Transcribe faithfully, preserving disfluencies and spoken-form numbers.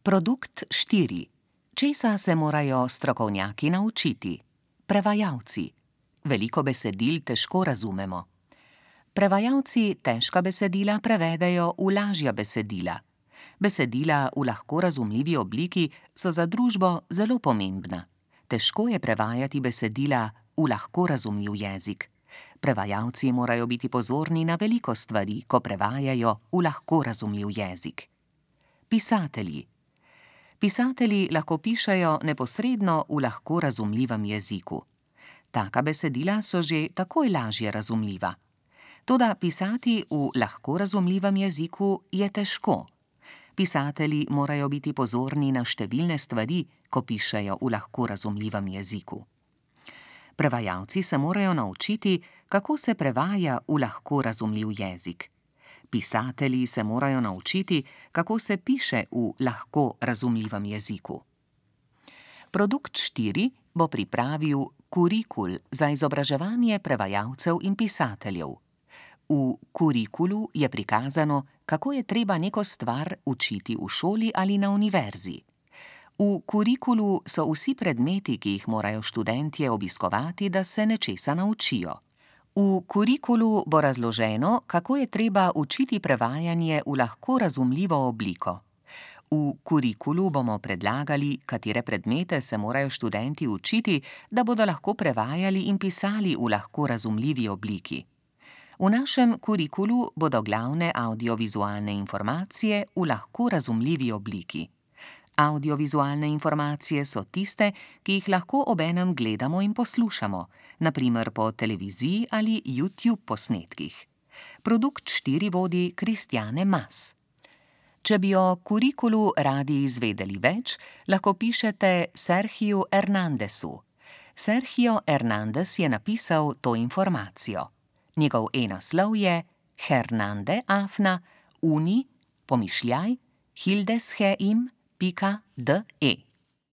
Produkt štiri. Česa se morajo strokovnjaki naučiti? Prevajalci. Veliko besedil težko razumemo. Prevajalci težka besedila prevedejo v lažja besedila. Besedila v lahko razumljivi obliki so za družbo zelo pomembna. Težko je prevajati besedila v lahko razumljiv jezik. Prevajalci morajo biti pozorni na veliko stvari, ko prevajajo v lahko razumljiv jezik. Pisatelji. Pisatelji lahko pišejo neposredno v lahko razumljivem jeziku. Taka besedila so že takoj lažje razumljiva. Toda pisati v lahko razumljivem jeziku je težko. Pisatelji morajo biti pozorni na številne stvari, ko pišejo v lahko razumljivem jeziku. Prevajalci se morajo naučiti, kako se prevaja v lahko razumljiv jezik. Pisatelji se morajo naučiti, kako se piše v lahko razumljivem jeziku. Produkt štiri bo pripravil kurikul za izobraževanje prevajalcev in pisateljev. V kurikulu je prikazano, kako je treba neko stvar učiti v šoli ali na univerzi. V kurikulu so vsi predmeti, ki jih morajo študentje obiskovati, da se nečesa naučijo. V kurikulu bo razloženo, kako je treba učiti prevajanje v lahko razumljivo obliko. V kurikulu bomo predlagali, katere predmete se morajo študenti učiti, da bodo lahko prevajali in pisali v lahko razumljivi obliki. V našem kurikulu bodo glavne avdiovizualne informacije v lahko razumljivi obliki. Avdiovizualne informacije so tiste, ki jih lahko obenem gledamo in poslušamo, na primer po televiziji ali YouTube posnetkih. Produkt štiri vodi Kristjane Mas. Če bi o kurikulu radi izvedeli več, lahko pišete Sergiju Hernandezu. Sergio Hernandez je napisal to informacijo. Njegov e-naslov je hernande afna uni pomišljaj hildesheim pika de.